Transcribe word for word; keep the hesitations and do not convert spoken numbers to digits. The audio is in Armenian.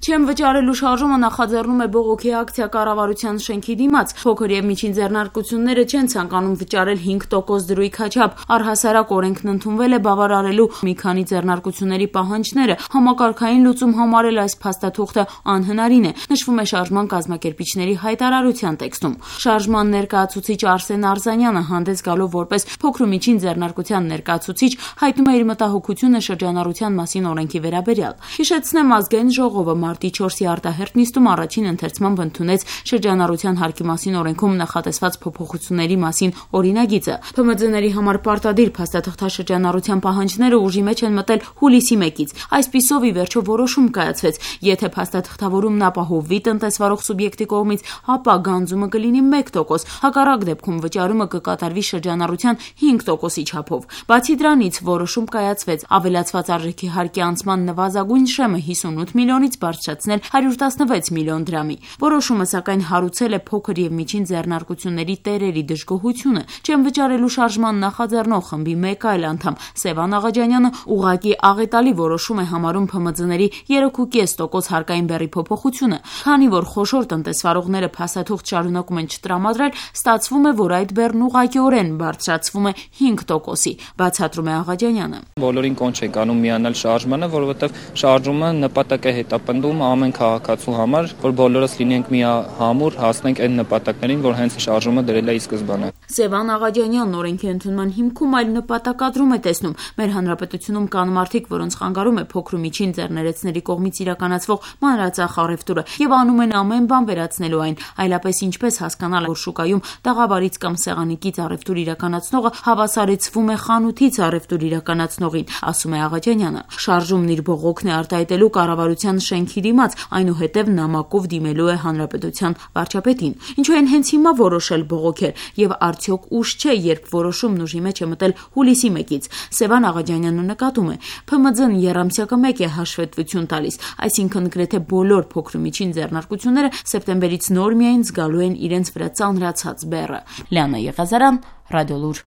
Չեմ վճարելու շարժումը նախաձեռնում է բողոքի ակցիա կառավարության շենքի դիմաց։ Փոքր եւ միջին ձեռնարկությունները չեն ցանկանում վճարել հինգ տոկոս դրույքաչափ։ Առհասարակ օրենքն ընդունվել է բավարարելու մի քանի ձեռնարկությունների պահանջները։ Համակարգային լուծում համարել այս փաստաթուղթը անհնարին է, նշվում է շարժման կազմակերպիչների հայտարարության տեքստում։ Շարժման ներկայացուցիչ Արսեն Արզանյանը հանդես գալով որպես փոքր ու միջին ձեռնարկության ներկայացուցիչ հայտնում է իր մտահոգությունը շրջանառության մասին օրենքի վերաբերյալ։ Հիշեցնեմ, ազգային ժողովը մարտի չորսի արտահերթ նիստում առաջին ընթերցմամբ ընդունեց շրջանառության հարկի մասին օրենքում նախատեսված փոփոխությունների մասին օրինագիծը։ ՓՄՁ-ների համար պարտադիր փաստաթղթաշրջանառության պահանջները ուժի մեջ են մտել հուլիսի մեկից։ Այսպիսով ի վերջո որոշում կայացվեց, եթե փաստաթղթավորումն ապահովվի տնտեսվարող սուբյեկտի կողմից, ապա գանձումը կլինի մեկ տոկոս, հակառակ դեպքում վճարումը կկատարվի շրջանառության հինգ տոկոսի չափով։ Բացի դրանից որոշում կայացվեց ավելացված արժեքի հարկի անցման նվազագույն շեմը հիսունութ միլիոնից բարձրացնել հարյուր տասնվեց միլիոն դրամի։ Որոշումը սակայն հարուցել է փոքր եւ միջին ձեռնարկությունների տերերի դժգոհությունը։ Չեմ վճարելու շարժման նախաձեռնող խմբի մեկ այլ անդամ Սևան Աղաջանյանը ուղղակի աղետալի որոշում է համարում ՓՄԶ-ների երեք ու կես տոկոս հարկային բեռի փոփոխությունը։ Քանի որ խոշոր տնտեսվարողները փաստաթուղթ շարունակում են չտրամադրել, ստացվում է, որ այդ բեռն ուղղակիորեն բարձրացվում է հինգ տոկոսի, բացատրում է Աղաջանյանը։ Բոլորին կոչ է անում միանալ շարժմանը, որովհետև շարժումը նպատակ է հետապնդում ամեն քաղաքացու համար, որ բոլորս լինենք միահամուռ, հասնենք այն նպատակներին, որ հենց շարժումը դրել է ի սկզբանե։ Սևան Աղաջանյանն օրենքի ընդունման հիմքում այլ նպատակադրում է տեսնում։ Մեր հանրապետությունում կան մարդիկ, որոնց խանգարում է փոքր ու միջին ձեռներեցների կողմից իրականացվող մանրածախ առևտուրը եւ անում են ամեն բան վերացնելու այն, այլապես ինչպես հասկանալ, որ շուկայում տաղավարից կամ սեղանիկից առևտուր իրականացնողը հավասարեցվում է խանութից առևտուր իրականացնողին, ասում է Աղաջանյանը։ Շարժումն իր բողոքն է արտահայտելու կառավարության շենքի դիմաց, այնուհետև նամակով դիմելու է հանրապետության վարչապետին։ Ինչու են հենց հիմա որոշել բողոքել եւ արդյոք ուշ չէ, երբ որոշումն ուժի մեջ է մտել հուլիսի մեկից։ Սևան Աղաջանյանը նկատում է, ՓՄԶ-ն եռամսյակը մեկ է հաշվետվություն տալիս, այսինքն գրեթե բոլոր փոքր ու միջին ձեռնարկությունները սեպտեմբերից նոր միայն զգալու են իրենց վրա ծանրացած բեռը։ Լիանա Եղազարյան, Ռադիոլուր։